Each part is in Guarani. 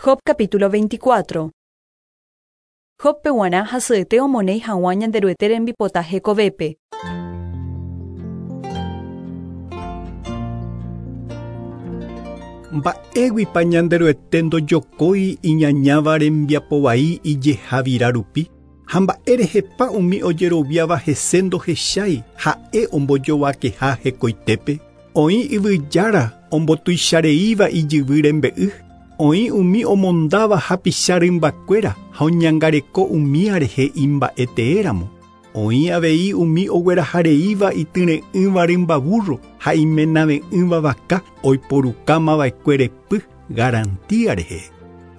Job capítulo 24. Jóbpe g̃uarã hasyete omonéi hag̃ua Ñanderuete rembipota hekovépe. Mba'éguipa Ñanderuete ndojokói iñañáva rembiapo vai ijehavira rupi ha mba'érehepa umi ojeroviáva hese ndohechái ha'e ombojovakeha hekoitépe. Oĩ yvyjára ombotuichareíva ijyvy rembe'y, oĩ umi omondáva hapicha rymbakuéra ha oñangareko umía rehe imba'eteéramo. Oĩ avei umi oguerahareíva ityre'ỹva rymba burro ha imenave'ỹva vaka oiporukámava'ekue repy garantía rehe.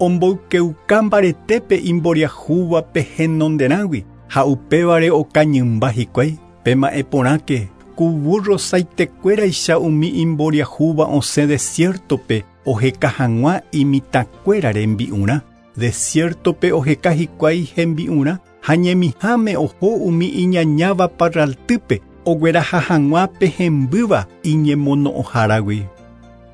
Omboykeuka mbaretépe imboriahúvape henonderãgui ha upévare okañymba hikuái. Pema'ẽporãke ku burro saitekuéraicha umi imboriahúva osẽ desiertope oheka hag̃ua imitãkuéra rembi'urã. Desiertope oheka hikuái hembi'urã ha ñemiháme oho umi iñañáva parraltýpe ogueraha hag̃ua pe hembýva iñemono'õháragui.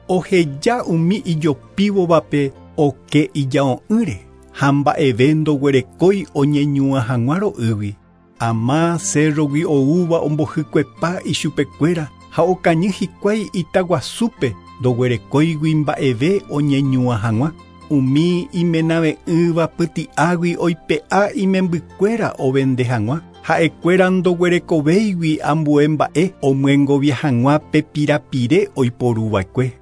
Oheja umi ijopívovape oke ijao'ỹre ha mba'eve ndoguerekói oñeñuã hag̃ua ro'ýgui. Ama cerrogui oúva ombohykuepa ichupekuéra ha okañy hikuái itaguasúpe ndoguerekóigui mba'eve oñeñuã hag̃ua. Umi imenave'ỹva pyti'águi oipe'a imembykuéra ovende hag̃ua. Ha'ekuéra ndoguerekovéigui ambue mba'e omyengovia hag̃ua pe pirapire oiporuva'ekue.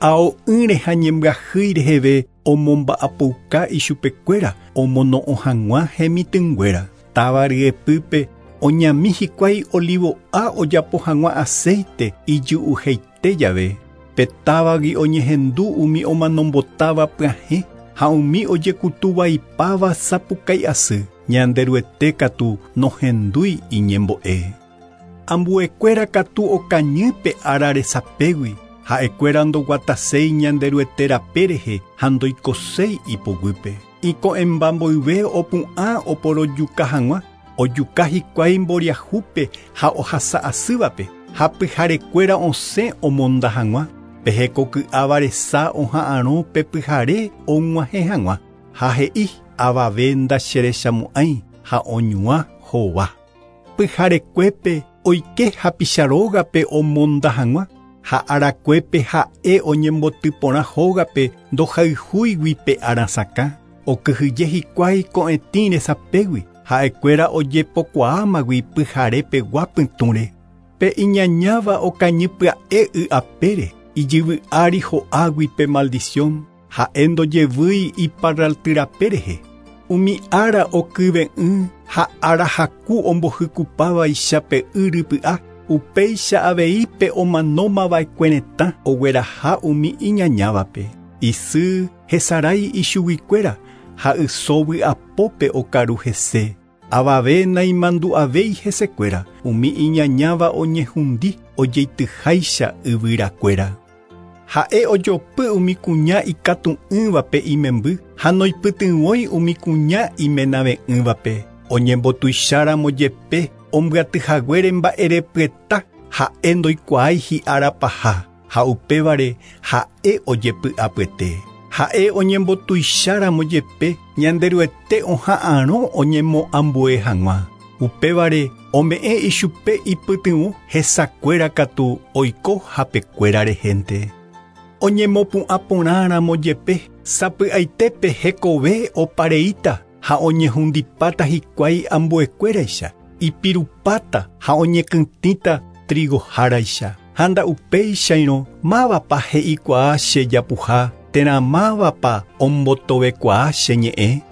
Ao'ỹre ha ñembyahýi reheve omomba'apouka ichupekuéra omono'õ hag̃ua hemitỹnguéra. Táva ryepýpe oñami hikuái olivo'a ojapo hag̃ua aceite ijy'uheite jave. Pe távagui oñehendu umi omanombotáva pyahẽ ha umi ojekutuvaipáva sapukái asy. Ñanderuete katu nohendúi iñembo'e. Ambuekuéra katu okañy pe ára resapégui. Ha'ekuéra ndoguataséi Ñanderuete rape rehe ha ndoikoséi ipoguýpe. Iko'ẽmba mboyve opu'ã oporojuka hag̃ua, ojuka hikuái mboriahúpe ha ohasa'asývape ha pyharekuéra osẽ omonda hag̃ua. Pe hekoky'áva resa oha'arõ pe pyhare og̃uahẽ hag̃ua ha he'i avave ndacherechamo'ãi ha oñuã hova. Pyharekuépe oike hapicha rógape omonda hag̃ua ha arakuépe ha'e oñembotyporã hógape ndohayhúigui pe arasakã. Okyhyje hikuái ko'ẽtĩ resapégui ha'ekuéra ojepokuaámagui pyharepegua pytũre. Pe iñañáva okañy pya'e y apére ijyvy'ári ho'águi pe maldición ha'e ndojevýi iparraltyrape rehe. Umi ára okyve'ỹ ha ára haku ombohykupávaicha pe y rypy'a upéicha avei pe omanómava'ekue retã ogueraha umi iñañávape. Isy hesarái ichuguikuéra ha yso vy'apópe okaru hese. Avave naimandu'avéi hesekuéra umi iñañáva oñehundi ojeityháicha yvyrakuéra. Ha'e ojopy umi kuña ikatu'ỹvape imemby ha noipytyvõi umi kuña imenave'ỹvape. Oñembotuicháramo jepe ombyatyhaguére mba'erepyeta ha'e ndoikuaái hi'árapaha ha upévare ha'e ojepy'apyete. Ha'e oñembotuicháramo jepe Ñanderuete oha'arõ oñemoambue hag̃ua. Upévare ome'ẽ ichupe ipytyvõ hesakuéra katu oiko hapekuéra rehénte. Oñemopu'ãporãramo jepe sapy'aitépe hekove opareíta ha oñehundipáta hikuái ambuekuéraicha, ipirupáta ha oñekytĩta trigoháraicha. Ha nda'upéichairõ mávapa he'ikuaa chejapuha térã mávapa ombotovekuaa che ñe'ẽ.